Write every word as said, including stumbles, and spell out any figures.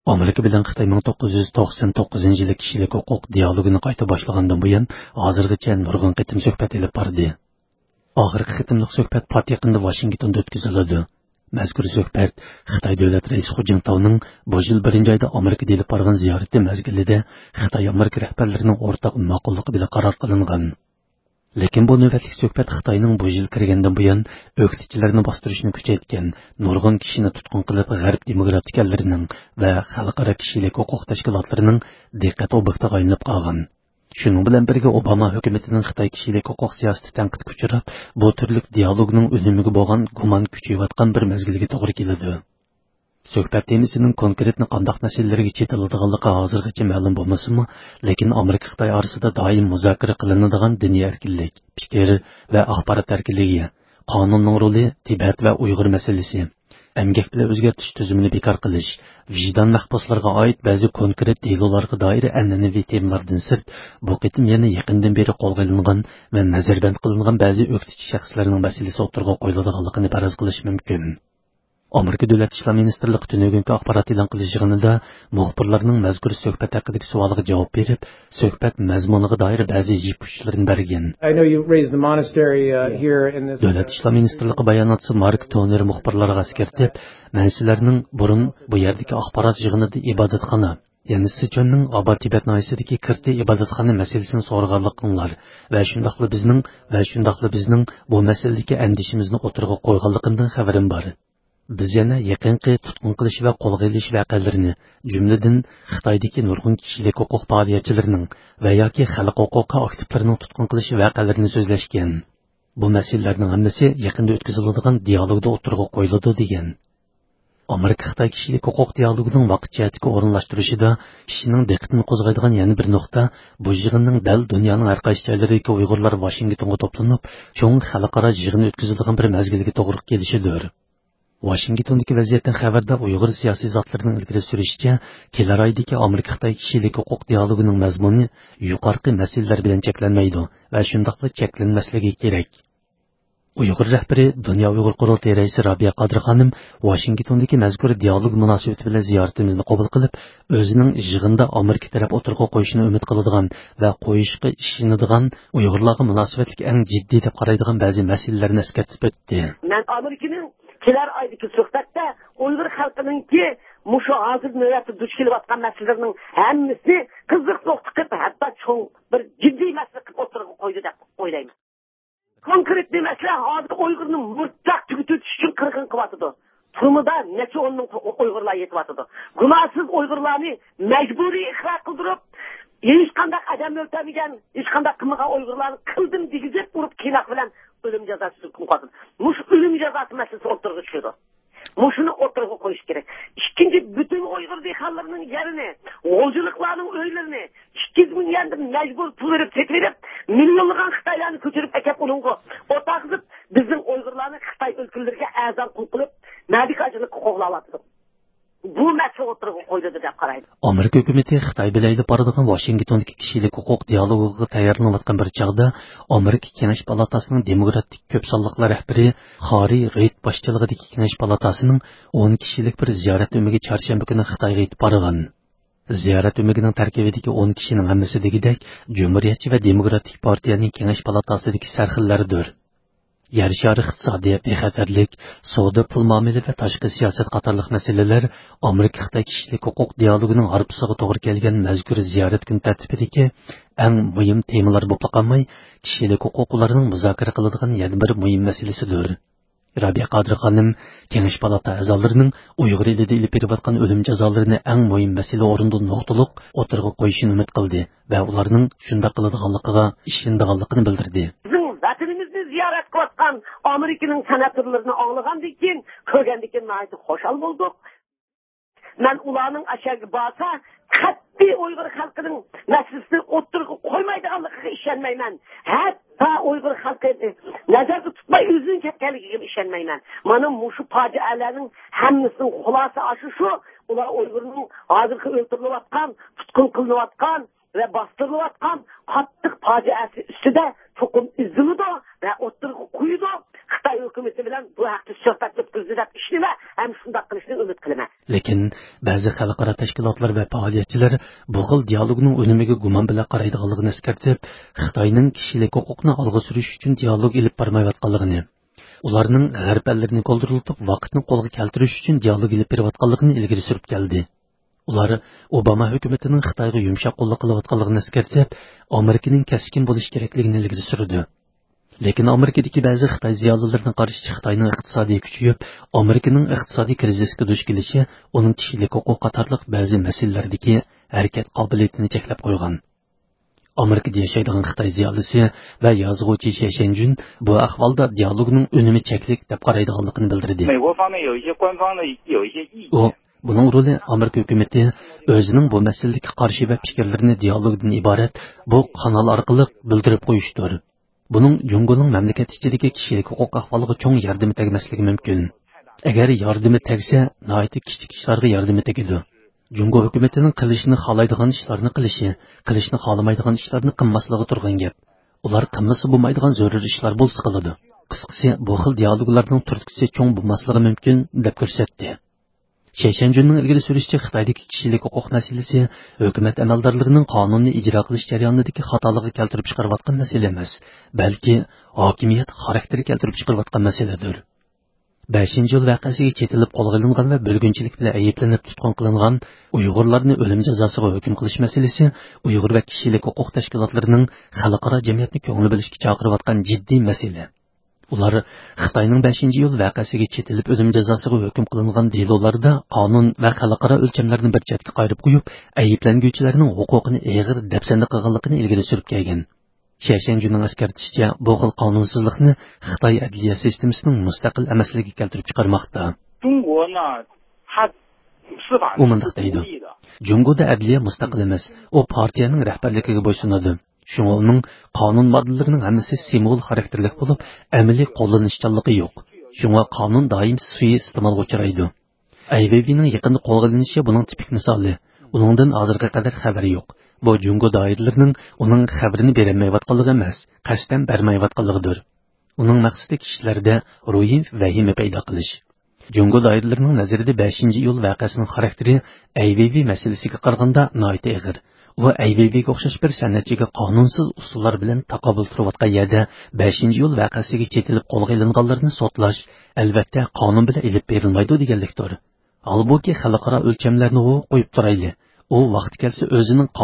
ئامېرىكا بىلەن خىتاي مىڭ توققۇز يۈز توقسەن توققۇزىنچى يىلى كىشىلىك ھوقۇق دىئالوگىنى قايتا باشلىغاندىن بۇيان، ھازىرغىچە نۇرغۇن قېتىم سۆھبەت ئېلىپ باردى. ئاخىرقى قېتىملىق سۆھبەت پات يېقىندا ۋاشىنگتوندا ئۆتكۈزۈلىدۇ. مەزكۇر سۆھبەت خىتاي دۆلەت رەئىسى خۇ جىنتاۋنىڭ بۇ يىل بىرىنچى ئايدا ئامېرىكىدا ئېلىپ بارغان زىيارىتى مەزگىلىدە خىتاي ئامېرىكا رەھبەرلىرىنىڭ ئورتاق ماقۇللۇقى بىلەن قارار قىلىنغان. لېكىن بۇ نۆۋەتلىك سۆھبەت خىتاينىڭ بۇ يىل كىرگەندىن بۇيان ئۆكتىچىلەرنى باستۇرۇشنى كۈچەيتكەن، نۇرغۇن كىشىنى تۇتقۇن قىلىپ، غەرب دېموكراتىك ئەللىرىنىڭ ۋە خەلقئارا كىشىلىك ھوقۇق تەشكىلاتلىرىنىڭ دىققەت ئوبيېكتىغا ئايلىنىپ قالغان. شۇنىڭ بىلەن بىرگە، ئوباما ھۆكۈمىتىنىڭ خىتاي كىشىلىك ھوقۇق سىياسىتى تەنقىدكە ئۇچراپ، بۇ تۈرلۈك دىئالوگنىڭ ئۈنۈمىگە بولغان گۇمان كۈچىيىۋاتقان بىر مەزگىلگە توغرا كېلىدۇ. سۆھبەت تېمىسىنىڭ كونكرېتنى قانداق مەسىلىلەرگە چېتىلىدىغانلىقى ھازىرغىچە مەلۇم بولمىسىمۇ، لېكىن ئامېرىكا خىتاي ئارىسىدا دائىم مۇزاكىرە قىلىنىدىغان دىنىي ئەركىنلىك، پىكىر ۋە ئاخبارات ئەركىنلىكى، قانۇننىڭ رولى، تىبەت ۋە ئۇيغۇر مەسىلىسى، ئەمگەك بىلەن ئۆزگەرتىش تۈزۈمىنى بىكار قىلىش، ۋىجدان مەھبۇسلىرىغا ئائىت بەزى كونكرېت دېلولارغا دائىر ئەنئەنىۋى تېمىلاردىن سىرت، بۇ قېتىم يەنە يېقىندىن بېرى قولغا ئېلىنغان ۋە نەزەربەند قىلىنغان بەزى ئۆكتىچى شەخسلەرنىڭ مەسىلىسى ئوتتۇرىغا قويۇلىدىغانلىقىنى پەرەز قىلىش مۇمكىن. ئامېرىكا دۆلەت ئىشلار مىنىستىرلىقى تۈنۈگۈنكى ئاخبارات ئېلان قىلىش يىغىنىدا مۇخبىرلارنىڭ مەزكۇر سۆھبەت ھەققىدىكى سوئالىغا جاۋاب بېرىپ، سۆھبەت مەزمۇنىغا دائىر بەزى يىپ ئۇچلىرىنى بەرگەن. I know you raised the monastery, uh, here in this دۆلەت ئىشلار مىنىستىرلىقى باياناتچىسى مارك تونېر مۇخبىرلارغا ئەسكەرتىپ، مەن سىلەرنىڭ بۇرۇن بۇ يەردىكى ئاخبارات يىغىنىدا ئىبادەتخانا، يەنى سىچۈەننىڭ ئابا تىبەت ناھىيەسىدىكى كىرتى ئىبادەتخانا مەسىلىسىنى سورىغانلىقىڭلار ۋە شۇنداقلا بىزنىڭ، ۋە شۇنداقلا بىزنىڭ بۇ مەسىلىدىكى ئەندىشىمىزنى ئوتتۇرىغا قويغانلىقىمدىن خەۋىرىم بار. بىز يەنە يېقىنقى تۇتقۇن قىلىش ۋە قولغا ئېلىش ۋەقەلىرىنى، جۈملىدىن خىتايدىكى نۇرغۇن كىشىلىك ھوقۇق پائالىيەتچىلىرىنىڭ ۋە ياكى خەلق ھوقۇقى ئاكتىپلىرىنىڭ تۇتقۇن قىلىش ۋەقەلىرىنى سۆزلەشكەن. بۇ مەسىلىلەرنىڭ ھەممىسى يېقىندا ئۆتكۈزۈلىدىغان دىئالوگدا ئوتتۇرىغا قويۇلىدۇ، دېگەن. ئامېرىكا خىتاي كىشىلىك ھوقۇق دىئالوگىنىڭ ۋاقىت جەھەتتىكى ئورۇنلاشتۇرۇشىدا كىشىنىڭ دىققىتىنى قوزغايدىغان يەنە بىر نۇقتا، بۇ يىغىننىڭ دەل دۇنيانىڭ ھەر قايسى جايلىرىدىكى ئۇيغۇرلار ۋاشىنگتونغا توپلىنىپ، چوڭ خەلقئارا يىغىن ئۆتكۈزىدىغان بىر مەزگىلگە توغرا كېلىشىدۇر. ۋاشىنگتوندىكى ۋەزىيەتتىن خەۋەردار ئۇيغۇر سىياسىي زاتلىرىنىڭ ئىلگىرى سۈرۈشىچە، كېلەر ئايدىكى ئامېرىكا خىتاي كىشىلىك ھوقۇق دىئالوگىنىڭ مەزمۇنى يۇقىرىقى مەسىلىلەر بىلەن چەكلەنمەيدۇ ۋە شۇنداقلا چەكلەنمەسلىكى كېرەك. ئۇيغۇر رەھبىرى، دۇنيا ئۇيغۇر قۇرۇلتىيى رەئىسى رابىيە قادىر خانىم ۋاشىنگتوندىكى مەزكۇر دىئالوگ مۇناسىۋىتى بىلەن زىيارىتىمىزنى قوبۇل قىلىپ، ئۆزىنىڭ يىغىندا ئامېرىكا تەرەپ ئوتتۇرىغا قويۇشىنى ئۈمىد قىلىدىغان ۋە قويۇشقا ئىشىنىدىغان، ئۇيغۇرلارغا مۇناسىۋەتلىك ئەڭ جىددىي دەپ قارايدىغان بەزى مەسىلىلەرنى ئەسكەرتىپ ئۆتتى. مەن ئامېرىكىنىڭ كېلەر ئايدىكى سۆھبەتتە ئۇيغۇر خەلقىنىڭكى مۇشۇ ھازىر نۆۋەتتە دۇچ كېلىۋاتقان مەسىلىلىرىنىڭ ھەممىسىنى قىزىق نۇقتا قىلىپ، ھەتتا چوڭ بىر جىددىي مەسىلە قىلىپ ئوتتۇرىغا قويدى دەپ ئويلايمەن. كونكرېتنى مەسىلە ھازىر ئۇيغۇرنى مۇرتتاق تۈگىتىۋېتىش ئۈچۈن قىرغىن قىلىۋاتىدۇ. تۈرمىدە نەچچە ئون مىڭ ئۇيغۇرلار يېتىۋاتىدۇ. گۇناھسىز ئۇيغۇرلارنى مەجبۇرىي ئىقرار قىلدۇرۇپ، ھېچقانداق ئادەم ئۆلتۈرمىگەن، ھېچقانداق قىلمىغان ئۇيغۇرلارنى قىلدىم دېگۈزۈپ ئۇرۇپ قىيناق بىلەن ئۆلۈم جازاسى ھۆكۈم قىلىۋاتىدۇ. مۇشۇ ئۆلۈم جازاسى مەسىلىسى ئوتتۇرىغا چۈشىدۇ. مۇشۇنى ئوتتۇرىغا قويۇش كېرەك. ئىككىنچى، پۈتۈن ئۇيغۇر دېھقانلىرىنىڭ يېرىنى، غۇلجىلىقلارنىڭ ئۆيلىرىنى ئىككى يۈز مىڭ يۈەندىن مەجبۇر پۇل بېرىپ سېتىۋېلىپ، مىليونلىغان خىتايلارنى كۆچۈرۈپ ئەكەپ ئۇنىڭغا ئولتۇرغۇزۇپ، بىزنىڭ ئۇيغۇرلارنى خىتاي ئۆلكىلىرىگە ئەرزان قۇل قىلىپ، مەدىكارچىلىققا قوغلاۋاتىدۇ. بۇ مەسىلە ئوتتۇرىغا قويۇلىدۇ دەپ قارايمەن. ئامېرىكا ھۆكۈمىتى خىتاي بىلەن ئېلىپ بارىدىغان ۋاشىنگتوندىكى كىشىلىك ھوقۇق دىئالوگىغا تەييارلىنىۋاتقان بىر چاغدا، ئامېرىكا كېڭەش پالاتاسىنىڭ دېموكراتىك كۆپ سانلىقلار رەھبىرى خاررى رېيد باشچىلىقىدىكى كېڭەش پالاتاسىنىڭ ئون كىشىلىك بىر زىيارەت ئۆمىكى چارشەنبە كۈنى خىتايغا يېتىپ بارغان. زىيارەت ئۆمىكىنىڭ تەركىبىدىكى ئون كىشىنىڭ ھەممىسى دېگۈدەك جۇمھۇرىيەتچى ۋە دېموكراتىك پارتىيەنىڭ كېڭەش پالاتاسىدىكى سەرخىللەردۇر. يەر شارى ئىقتىسادىيەت بىخەتەرلىك، سودا، پۇل مۇئامىلە ۋە تاشقى سىياسەت قاتارلىق مەسىلىلەر ئامېرىكا خىتاي كىشىلىك ھوقۇق دىئالوگىنىڭ ھارپىسىغا توغرا كەلگەن مەزكۇر زىيارەت كۈن تەرتىپىدىكى ئەڭ مۇھىم تېمىلار بولۇپلا قالماي، كىشىلىك ھوقۇق ئۇلارنىڭ مۇزاكىرە قىلىدىغان يەنە بىر مۇھىم مەسىلىسىدۇر. رابىيە قادىر خانىم كېڭەش پالاتا ئەزالىرىنىڭ ئۇيغۇر ئېلىدە ئېلىپ بېرىۋاتقان ئۆلۈم جازالىرىنى ئەڭ مۇھىم مەسىلە ئورنىدا نۇقتىلىق ئوتتۇرىغا قويۇشىنى ئۈمىد قىلدى ۋە ئۇلارنىڭ شۇنداق قىلىدىغانلىقىغا ئىشىنىدىغانلىقىنى بىلدۈردى. بىزنىڭ ۋەتىنىمىزنى زىيارەت قىلىۋاتقان ئامېرىكىنىڭ سېناتورلىرىنى ئاڭلىغاندىن كېيىن، كۆرگەندىن كېيىن ناھايىتى خۇشال بولدۇق. مەن ئۇلارنىڭ ئەشەگە بارسا، قەتئىي ئۇيغۇر خەلقىنىڭ مەسىلىسىنى ئوتتۇرىغا قويمايدىغانلىقىغا ئىشەنمەيمەن. ھەتتا ئۇيغۇر خەلقى نەزەردە تۇتماي ئۆزىنىڭ كەتكەنلىكىگىمۇ ئىشەنمەيمەن. مانا مۇشۇ پاجىئەلەرنىڭ ھەممىسىنىڭ خۇلاسە ئاشۇ شۇ، ئۇلار ئۇيغۇرنىڭ ھازىرقى ئۆلتۈرۈلۈۋاتقان، تۇتقۇن قىلىنىۋاتقان ۋە باستۇرۇلۇۋاتقان قاتتىق پاجىئەسى ئۈستىدە تۇقۇم ئۈزۈلىدۇ ۋە ئوتتۇرىغا قويىدۇ. خىتاي ھۆكۈمىتى بىلەن بۇ ھەقتە سۆھبەت ئۆتكۈزدى دەپ ئىشىنىمەن ھەم شۇنداق قىلىشىنى ئۈمىد قىلىمەن. لېكىن بەزى خەلقئارا تەشكىلاتلار ۋە پائالىيەتچىلەر بۇ خىل دىيالوگنىڭ ئۈنۈمىگە گۇمان بىلەن قارايدىغانلىقىنى ئەسكەرتىپ، خىتاينىڭ كىشىلىك ھوقۇقنى ئالغا سۈرۈش ئۈچۈن دىيالوگ ئېلىپ بارمايۋاتقانلىقىنى، ئۇلارنىڭ غەرب ئەللىرىنى كولدۇرلىتىپ، ۋاقىتنى قولغا كەلتۈرۈش ئۈچۈن دىيالوگ ئېلىپ بېرىۋاتقانلىقىنى ئىلگىرى سۈرۈپ كەلدى. ئۇلار ئوباما ھۆكۈمىتىنىڭ خىتايغا يۇمشاق قوللۇق قىلىۋاتقانلىقىنى ئەسكەرتىپ، ئامېرىكىنىڭ كەسكىن بولۇشى كېرەكلىكىنى ئىلگىرى سۈردى. لېكىن ئامېرىكىدىكى بەزى خىتاي زىيالىيلىرىنىڭ قارىشىچە، خىتاينىڭ ئىقتىسادى كۈچىيىپ، ئامېرىكىنىڭ ئىقتىسادىي كىرىزىسكە دۇچ كېلىشى ئۇنىڭ كىشىلىك ھوقۇق قاتارلىق بەزى مەسىلىلەردىكى ھەرىكەت قابىلىيىتىنى چەكلەپ قويغان. ئامېرىكىدا ياشايدىغان خىتاي زىيالىيسى ۋە يازغۇچى شيەشەنجۈن بۇ ئەھۋالدا دىيالوگنىڭ ئۈنۈمى چەكلىك دەپ قارايدىغانلىقىنى بىلدۈردى. 美国方面有一些官方的有一些意见。 ئۇ بۇنىڭ رولى ئامېرىكا ھۆكۈمىتى ئۆزىنىڭ بۇ مەسىلىدىكى قارىشى ۋە پىكىرلىرىنى دىيالوگدىن ئىبارەت بۇ قانال ئارقىلىق بىلدۈرۈپ قويۇشتۇر. بۇنىڭ جۇڭگونىڭ مەملىكەت ئىچىدىكى كىشىلىك ھوقۇق ئەھۋالىغا چوڭ ياردىمى تەگمەسلىكى مۇمكىن. ئەگەر ياردىمى تەگسە، ناھايىتى كىچىك ئىشلارغا ياردىمى تېگىدۇ. جۇڭگو ھۆكۈمىتىنىڭ قىلىشنى خالايدىغان ئىشلارنى قىلىشى، قىلىشنى خالىمايدىغان ئىشلارنى قىلماسلىقى تۇرغان گەپ. ئۇلار قىلمىسا بولمايدىغان زۆرۈر ئىشلار بولسا قىلىدۇ. قىسقىسى، بۇ خىل دىيالوگلارنىڭ تۈرتكىسى چوڭ بولماسلىقى مۇمكىن، دەپ كۆرسەتتى. شيشەنجۈننىڭ ئىلگىرى سۈرۈشىچە، خىتايدىكى كىشىلىك ھوقۇق مەسىلىسى ھۆكۈمەت ئەمەلدارلىرىنىڭ قانۇننى ئىجرا قىلىش جەريانىدىكى خاتالىقى كەلتۈرۈپ چىقىرىۋاتقان مەسىلە ئەمەس، بەلكى ھاكىمىيەت خاراكتېرى كەلتۈرۈپ چىقىرىۋاتقان مەسىلىدۇر. بەشىنچى ئىيۇل ۋەقەسىگە چېتىلىپ قولغا ئېلىنغان ۋە بۆلگۈنچىلىك بىلەن ئەيىبلىنىپ تۇتقۇن قىلىنغان ئۇيغۇرلارنى ئۆلۈم جازاسىغا ھۆكۈم قىلىش مەسىلىسى ئۇيغۇر ۋە كىشىلىك ھوقۇق تەشكىلاتلىرىنىڭ خەلقئارا جەمئىيەتنى كۆڭۈل بۆلۈشكە چاقىرىۋاتقان جىددىي مەسىلە. ئۇلار خىتاينىڭ بەشىنچى ئىيۇل ۋەقەسىگە چېتىلىپ ئۆلۈم جازاسىغا ھۆكۈم قىلىنغان دېلولاردا قانۇن ۋە خەلقئارا ئۆلچەملەرنى بىر چەتكە قايرىپ قويۇپ، ئەيىبلەنگۈچىلەرنىڭ ھوقۇقىنى ئېغىر دەپسەندە قىلغانلىقىنى ئىلگىرى سۈرۈپ كەلگەن. شيشەنجۈننىڭ ئەسكەرتىشىچە، بۇ خىل قانۇنسىزلىقنى خىتاي ئەدلىيە سىستېمىسىنىڭ مۇستەقىل ئەمەسلىكى كەلتۈرۈپ چىقارماقتا. 中国呢，它司法 ئۇ مۇنداق دەيدۇ، 独立的。 جۇڭگودا ئەدلىيە مۇستەقىل ئەمەس، ئۇ پارتىيەنىڭ رەھبەرلىكىگە بويسۇنىدۇ. شۇڭا ئۇنىڭ قانۇن ماددىلىرىنىڭ ھەممىسى سىمۋول خاراكتېرلىك بولۇپ، ئەمەلىي قوللىنىشچانلىقى يوق. شۇڭا قانۇن دائىم سۇيىئىستېمالغا ئۇچرايدۇ. ئەي ۋېيۋېينىڭ يېقىندا قولغا ئېلىنىشى بۇنىڭ تىپىك مىسالى. ئۇنىڭدىن ھازىرغا قەدەر خەۋەر يوق. بۇ جۇڭگو دائىرىلىرىنىڭ ئۇنىڭ خەۋىرىنى بېرەلمەيۋاتقانلىقى ئەمەس، قەستەن بەرمەيۋاتقانلىقىدۇر. ئۇنىڭ مەقسىتى كىشىلەردە روھىي ۋەھىمە پەيدا قىلىش. جۇڭگو دائىرىلىرىنىڭ نەزىرىدە بەشىنچى ئىيۇل ۋەقەسىنىڭ خاراكتېرى ئەي ۋېيۋېي مەسىلىسىگە قارىغاندا ناھايىتى ئېغىر. ئۇ ئەي ۋېيۋېيگە ئوخشاش بىر سەنئەتچىگە قانۇنسىز ئۇسۇللار بىلەن تاقابىل تۇرۇۋاتقان يەردە بەشىنچى ئىيۇل ۋەقەسىگە چېتىلىپ قولغا ئېلىنغانلارنى سوتلاش، ئەلۋەتتە، قانۇن بىلەن ئېلىپ بېرىلمايدۇ دېگەنلىكتۇر. ھالبۇكى، خەلقئارا ئۆلچەملەرنىغۇ قويۇپ تۇرايلى. ئۇ ۋاقتى كەلسە ئۆزىنىڭ قانۇن